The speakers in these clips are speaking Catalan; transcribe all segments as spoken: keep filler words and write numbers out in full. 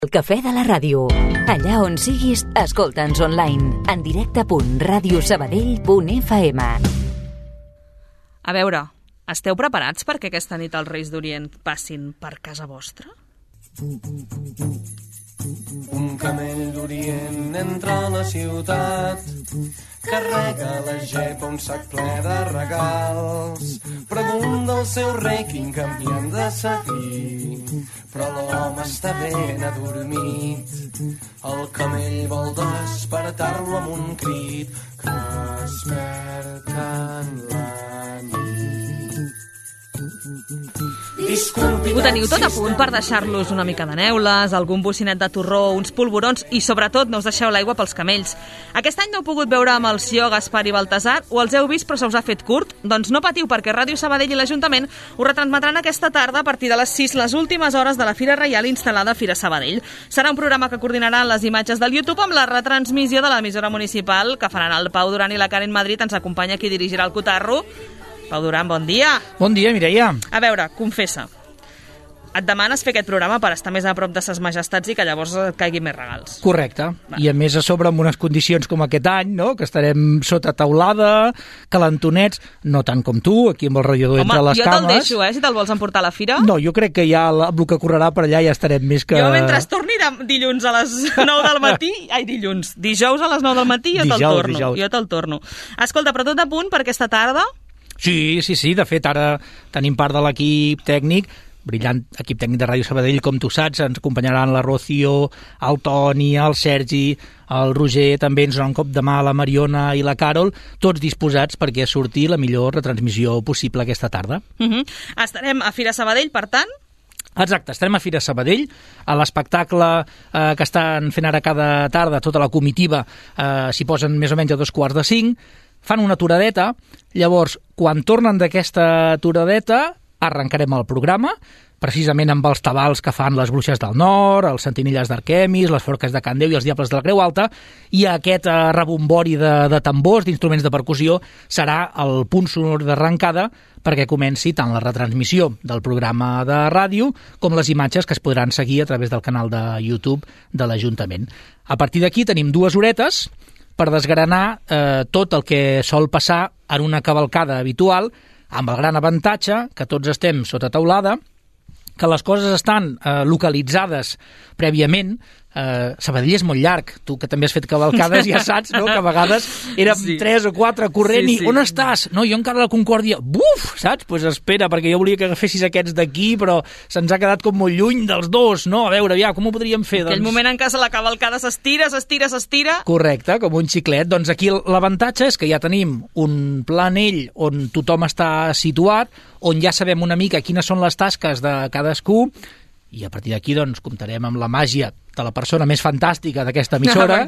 El cafè de la ràdio. Allà on siguis, escolta'ns online. En directe punt ràdio sabadell punt f m. A veure, esteu preparats perquè aquesta nit els Reis d'Orient passin per casa vostra? Un camell d'Orient entra a la ciutat, carrega la gepa un sac ple de regals, pregunta al seu rei quin camí han de seguir, però l'home està ben adormit. El camell vol despertar-lo amb un crit que desperta en la nit. Ho teniu tot a punt per deixar-los una mica de neules, algun bocinet de torró, uns polvorons i, sobretot, no us deixeu l'aigua pels camells. Aquest any no heu pogut veure amb el Sió, Gaspar i Baltasar, o els heu vist però se us ha fet curt? Doncs no patiu, perquè Ràdio Sabadell i l'Ajuntament ho retransmetran aquesta tarda a partir de les sis, les últimes hores de la Fira Reial instal·lada a Fira Sabadell. Serà un programa que coordinaran les imatges del YouTube amb la retransmissió de l'emissora municipal que faran el Pau Duran i la Karen Madrid. Ens acompanya qui dirigirà el Cotarro. Pau Duran, bon dia. Bon dia, Mireia. A veure, confessa. Et demanes fer aquest programa per estar més a prop de ses majestats i que llavors et caiguin més regals. Correcte. Va. I a més a sobre amb unes condicions com aquest any, no? Que estarem sota taulada, calentonets, no tant com tu, aquí amb el radiador entre les cames. Home, jo te'l deixo, eh, si te'l vols emportar a la fira. No, jo crec que ja amb el que correrà per allà ja estarem més que... Jo mentre torni de dilluns a les nou del matí, ai, dilluns, dijous a les nou del matí jo te'l torno. Dijous. Jo te'l torno. Escolta, però tot a punt per aquesta tarda? Sí, sí, sí, de fet ara tenim part de l'equip tècnic, brillant equip tècnic de Ràdio Sabadell, com tu saps, ens acompanyaran la Rocío, el Toni, el Sergi, el Roger, també ens donen un cop de mà la Mariona i la Carol, tots disposats perquè surti la millor retransmissió possible aquesta tarda. Uh-huh. Estarem a Fira Sabadell, per tant? Exacte, estarem a Fira Sabadell, a l'espectacle eh, que estan fent ara cada tarda, tota la comitiva, eh, s'hi posen més o menys a dos quarts de cinc, fan una aturadeta, llavors, quan tornen d'aquesta aturadeta, arrencarem el programa, precisament amb els tabals que fan les Bruixes del Nord, els Sentinelles d'Arquemis, les Forques de Can Déu i els Diables de la Creu Alta, i aquest eh, rebombori de, de tambors, d'instruments de percussió, serà el punt sonor d'arrencada perquè comenci tant la retransmissió del programa de ràdio com les imatges que es podran seguir a través del canal de YouTube de l'Ajuntament. A partir d'aquí tenim dues horetes per desgranar eh, tot el que sol passar en una cavalcada habitual, amb el gran avantatge que tots estem sota teulada, que les coses estan eh, localitzades prèviament. Eh, Sabadell és molt llarg, tu que també has fet cavalcades ja saps, no?, que a vegades érem sí. tres o quatre corrent sí, sí. i on estàs? No, jo encara a la Concòrdia, buf, saps? Doncs pues espera, perquè jo volia que agafessis aquests d'aquí, però se'ns ha quedat com molt lluny dels dos, no? A veure, ja, com ho podríem fer? Aquell doncs... moment en què la cavalcada s'estira, s'estira, s'estira... Correcte, com un xiclet. Doncs aquí l'avantatge és que ja tenim un planell on tothom està situat, on ja sabem una mica quines són les tasques de cadascú, i a partir d'aquí doncs, comptarem amb la màgia de la persona més fantàstica d'aquesta emissora,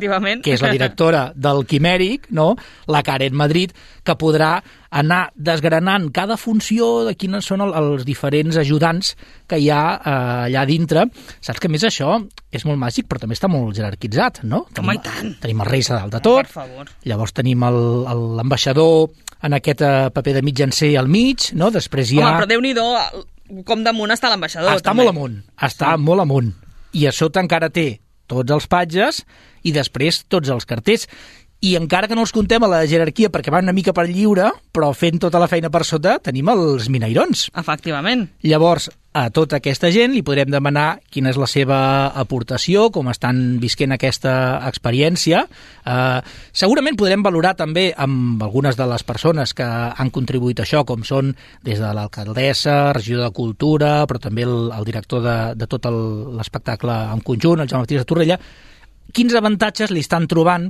que és la directora del Quimèric, no? La Karen Madrid, que podrà anar desgranant cada funció de quines són el, els diferents ajudants que hi ha eh, allà dintre. Saps que a més això és molt màgic, però també està molt jerarquitzat, no? Home, tenim, i tant! Tenim el rei a dalt de tot, per favor. Llavors tenim l'ambaixador en aquest eh, paper de mitjancer al mig, no? Després hi ha... Home, però Déu-n'hi-do, com damunt està l'ambaixador. Està també. molt amunt, està sí. molt amunt. I a sota encara té tots els patges i després tots els carters. I encara que no els contem a la jerarquia perquè van una mica per lliure, però fent tota la feina per sota tenim els minairons. Efectivament. Llavors, a tota aquesta gent li podrem demanar quina és la seva aportació, com estan visquent aquesta experiència. Eh, segurament podrem valorar també amb algunes de les persones que han contribuït a això, com són des de l'alcaldessa, regidor de Cultura, però també el, el director de, de tot l'espectacle en conjunt, el Jaume Martínez de Torrella. Quins avantatges li estan trobant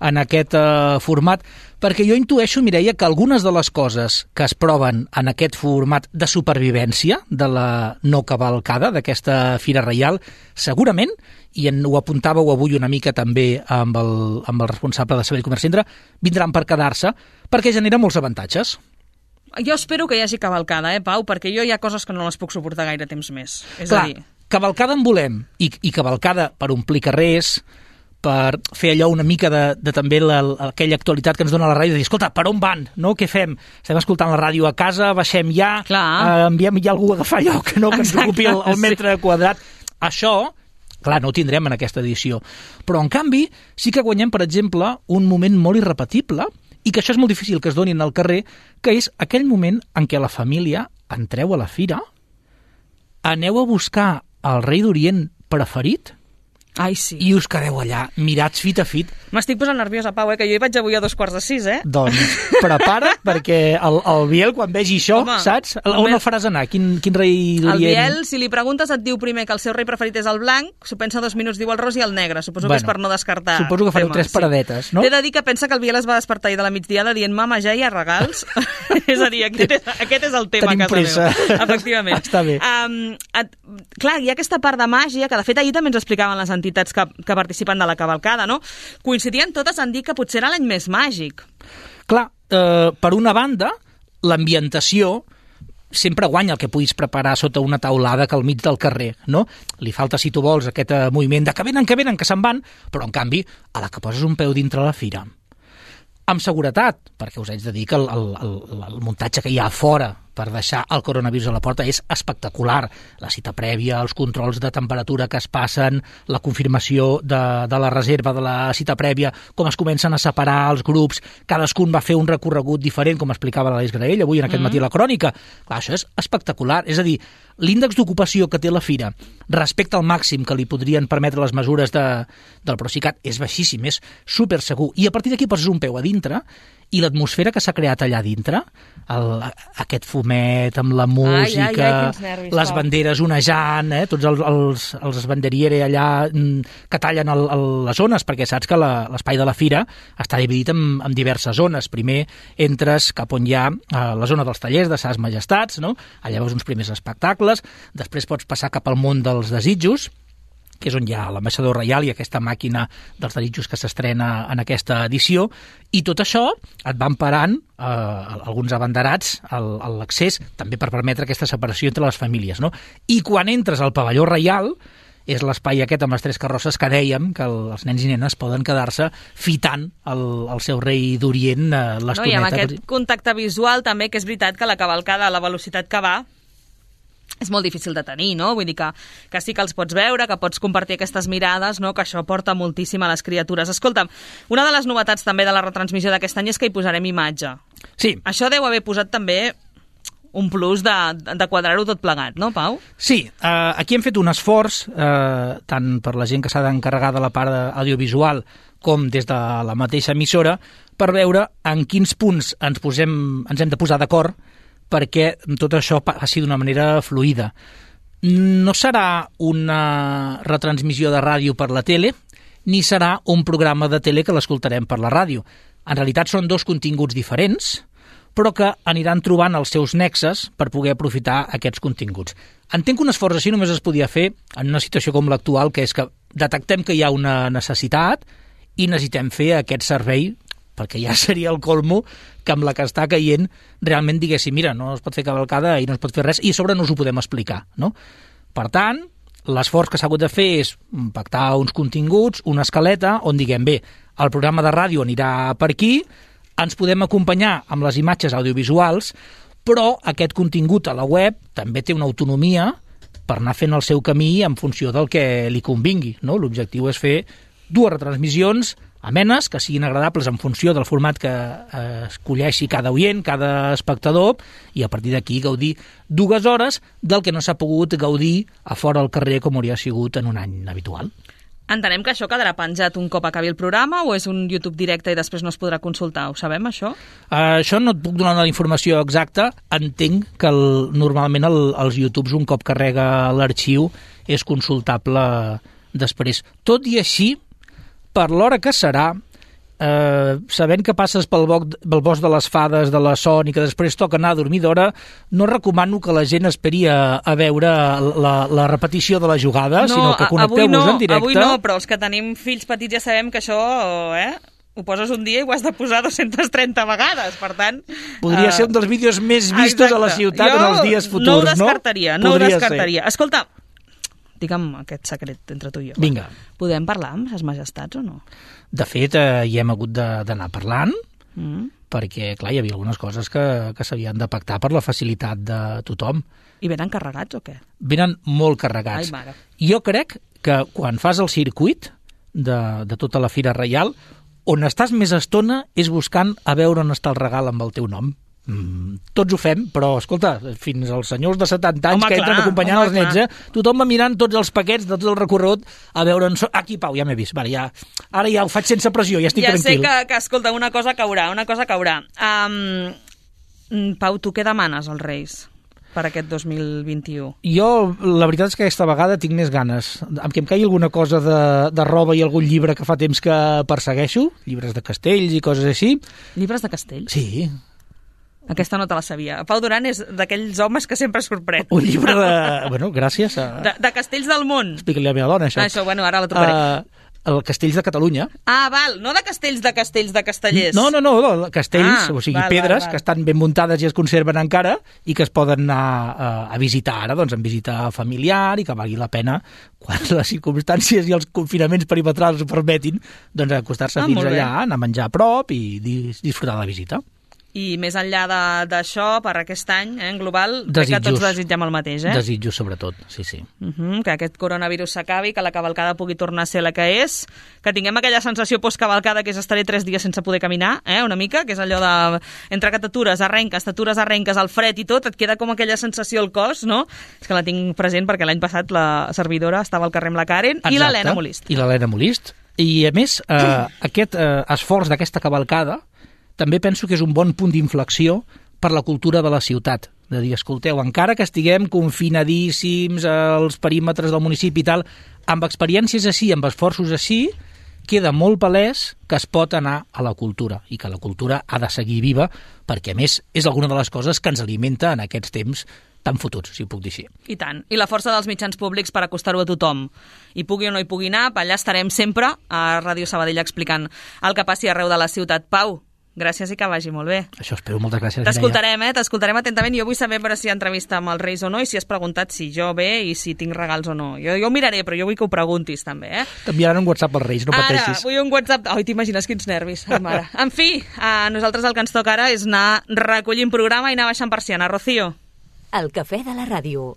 en aquest eh, format? Perquè jo intueixo, Mireia, que algunes de les coses que es proven en aquest format de supervivència de la no cavalcada, d'aquesta Fira Reial, segurament, i en, ho apuntàveu avui una mica també amb el, amb el responsable de Sabadell Comerç Centre, vindran per quedar-se, perquè genera molts avantatges. Jo espero que hi hagi cavalcada, eh, Pau? Perquè jo hi ha coses que no les puc suportar gaire temps més. És Clar, a dir... cavalcada en volem, i, i cavalcada per omplir carrers, per fer allò una mica de, de també la, aquella actualitat que ens dona la ràdio, de dir, escolta, per on van? No? Què fem? Estem escoltant la ràdio a casa, baixem ja, eh, enviem ja algú a agafar lloc, no? Que ens ocupi el, el metre sí. quadrat. Això Clar, no ho tindrem en aquesta edició. Però, en canvi, sí que guanyem, per exemple, un moment molt irrepetible, i que això és molt difícil que es donin al carrer, que és aquell moment en què la família entreu a la fira, aneu a buscar el rei d'Orient preferit, Ai, sí. i us quedeu allà, mirats fit a fit. M'estic posant nerviosa, Pau, eh? Que jo hi vaig avui a dos quarts de sis, eh? Doncs prepara't, perquè el, el Biel, quan vegi això, Home, saps? On el el faràs anar? Quin, quin rei d'Orient? El Biel, si li preguntes, et diu primer que el seu rei preferit és el blanc, s'ho pensa dos minuts, diu el ros i el negre. Suposo Bueno, que és per no descartar. Suposo que fareu tema, tres paradetes, no? T'he de dir que pensa que el Biel es va despertar ahir de la migdiada dient mama, ja hi ha regals. És a dir, aquest és, aquest és el tema Tenim a casa pressa. meva. Efectivament. Està bé. Um, et, clar, hi ha aquesta part de màgia, que de fet ahir també ens explicaven les entitats que, que participen de la cavalcada, no? Coincidien totes en dir que potser era l'any més màgic. Clar, eh, per una banda, l'ambientació sempre guanya el que puguis preparar sota una taulada que al mig del carrer, no? Li falta, si tu vols, aquest eh, moviment de que venen, que venen, que se'n van, però, en canvi, a la que poses un peu dintre la fira, amb seguretat, perquè us haig de dir que el, el, el, el muntatge que hi ha a fora per deixar el coronavirus a la porta és espectacular. La cita prèvia, els controls de temperatura que es passen, la confirmació de, de la reserva de la cita prèvia, com es comencen a separar els grups, cadascun va fer un recorregut diferent, com explicava l'Aleix Graell avui en aquest mm. matí a la crònica. Clar, això és espectacular. És a dir, l'índex d'ocupació que té la fira respecte al màxim que li podrien permetre les mesures de, del Procicat és baixíssim, és super segur. I a partir d'aquí poses un peu a dintre i l'atmosfera que s'ha creat allà dintre, el, aquest fumet amb la música, ai, ai, ai, nervis, les Pau. banderes onejant, eh, tots els, els, els banderiere allà mm, que tallen el, el, les zones, perquè saps que l'espai de la fira està dividit en, en diverses zones. Primer entres cap on hi ha eh, la zona dels tallers de Ses Majestats, no? Allà veus uns primers espectacles, després pots passar cap al món dels desitjos, que és on hi ha l'ambaixador reial i aquesta màquina dels desitjos que s'estrena en aquesta edició, i tot això et van parant eh, alguns abanderats a l'accés, també per permetre aquesta separació entre les famílies, no? I quan entres al pavelló reial, és l'espai aquest amb les tres carrosses que dèiem que el, els nens i nenes poden quedar-se fitant el, el seu rei d'Orient eh, l'estoneta. No, i amb aquest contacte visual també, que és veritat que la cavalcada, a la velocitat que va, és molt difícil de tenir, no? Vull dir que, que sí que els pots veure, que pots compartir aquestes mirades, no? Que això porta moltíssim a les criatures. Escolta'm, una de les novetats també de la retransmissió d'aquest any és que hi posarem imatge. Sí. Això deu haver posat també un plus de, de quadrar-ho tot plegat, no, Pau? Sí, eh, aquí hem fet un esforç, eh, tant per la gent que s'ha d'encarregar de la part audiovisual com des de la mateixa emissora, per veure en quins punts ens, posem, ens hem de posar d'acord perquè tot això passi d'una manera fluida. No serà una retransmissió de ràdio per la tele, ni serà un programa de tele que l'escoltarem per la ràdio. En realitat són dos continguts diferents, però que aniran trobant els seus nexes per poder aprofitar aquests continguts. Entenc que un esforç així només es podia fer en una situació com l'actual, que és que detectem que hi ha una necessitat i necessitem fer aquest servei, perquè ja seria el colmo que amb la que està caient realment diguéssim, mira, no es pot fer cavalcada i no es pot fer res, i a sobre no us ho podem explicar, no? Per tant, l'esforç que s'ha hagut de fer és pactar uns continguts, una escaleta, on diguem, bé, el programa de ràdio anirà per aquí, ens podem acompanyar amb les imatges audiovisuals, però aquest contingut a la web també té una autonomia per anar fent el seu camí en funció del que li convingui, no? L'objectiu és fer dues retransmissions amenes, que siguin agradables en funció del format que eh, escolleixi cada oient, cada espectador, i a partir d'aquí gaudir dues hores del que no s'ha pogut gaudir a fora al carrer com hauria sigut en un any habitual. Entenem que això quedarà penjat un cop acabi el programa o és un YouTube directe i després no es podrà consultar? Ho sabem, això? Uh, això no et puc donar la informació exacta. Entenc que el, normalment el, els YouTubes, un cop carrega l'arxiu, és consultable després. Tot i així, per l'hora que serà, eh, sabent que passes pel, boc, pel bosc de les fades, de la son, i que després toca anar a dormir d'hora, no recomano que la gent esperi a, a veure la, la repetició de la jugada, no, sinó que connecteu-vos no, en directe. Avui no, però els que tenim fills petits ja sabem que això, eh, ho poses un dia i ho has de posar dues-centes trenta vegades, per tant... Podria uh, ser un dels vídeos més vistos exacte. A la ciutat jo en els dies futurs, no? ho descartaria, no? no ho descartaria. Ser. Escolta, digue'm aquest secret entre tu i jo. Vinga. Podem parlar amb ses majestats o no? De fet, eh, hi hem hagut d'anar parlant, mm. perquè, clar, hi havia algunes coses que, que s'havien de pactar per la facilitat de tothom. I venen carregats o què? Venen molt carregats. Ai, mare. Jo crec que quan fas el circuit de, de tota la Fira Reial, on estàs més estona és buscant a veure on està el regal amb el teu nom. Mm, tots ho fem, però, escolta, fins als senyors de setanta anys home, que entren clar, acompanyant home, els nets, eh? Tothom va mirant tots els paquets de tot el recorregut a veure on... So... Aquí, Pau, ja m'he vist. Vale, ja... Ara ja ho faig sense pressió, ja estic ja tranquil. Ja sé que, que, escolta, una cosa caurà, una cosa caurà. Um, Pau, tu què demanes als Reis per aquest dos mil vint-i-u? Jo, la veritat és que aquesta vegada tinc més ganes. Amb que em caigui alguna cosa de, de roba i algun llibre que fa temps que persegueixo, llibres de castells i coses així. Llibres de castells? Sí. Aquesta no te la sabia. Pau Duran és d'aquells homes que sempre sorprèn. Un llibre de... Bueno, gràcies. A... De, de castells del món. Explica-li a la meva dona, això. Ah, això, bueno, ara la trucaré. Uh, el Castells de Catalunya. Ah, val, no de castells de castells de castellers. No, no, no, no castells, ah, o sigui, val, pedres val, val. que estan ben muntades i es conserven encara i que es poden anar a, a visitar ara, doncs, en visita familiar i que valgui la pena, quan les circumstàncies i els confinaments perimetrals ho permetin, doncs acostar-se ah, fins allà, anar a menjar a prop i disfrutar de la visita. I més enllà d'això, per aquest any, eh, en global, crec que tots desitgem el mateix, eh? Desitjos, sobretot, sí, sí. Uh -huh, que aquest coronavirus s'acabi, que la cavalcada pugui tornar a ser la que és, que tinguem aquella sensació post-cavalcada que és estaré tres dies sense poder caminar, eh, una mica, que és allò de... Entre que t'atures, arrenques, t'atures, arrenques, el fred i tot, et queda com aquella sensació al cos, no? És que la tinc present perquè l'any passat la servidora estava al carrer amb la Karen. Exacte. I l'Helena Molist. I l'Helena Molist. I, a més, eh, aquest eh, esforç d'aquesta cavalcada també penso que és un bon punt d'inflexió per la cultura de la ciutat. De dir, escolteu, encara que estiguem confinadíssims als perímetres del municipi i tal, amb experiències així, amb esforços així, queda molt palès que es pot anar a la cultura i que la cultura ha de seguir viva perquè, a més, és alguna de les coses que ens alimenta en aquests temps tan fotuts, si ho puc dir així. I tant. I la força dels mitjans públics per acostar-ho a tothom. I pugui o no hi pugui anar, allà estarem sempre a Ràdio Sabadell explicant el que passi arreu de la ciutat. Pau, gràcies i que vagi molt bé. Això espero, moltes gràcies. T'escoltarem, eh? T'escoltarem atentament. Jo vull saber però si hi ha entrevista amb els Reis o no i si has preguntat si jo bé i si tinc regals o no. Jo, jo ho miraré, però jo vull que ho preguntis també, eh? T'enviaran un WhatsApp als Reis, no pateixis. Ara, vull un WhatsApp... Ai, t'imagines quins nervis, mare. En fi, a nosaltres el que ens toca ara és anar recollint programa i anar baixant persiana. Rocío. El cafè de la ràdio.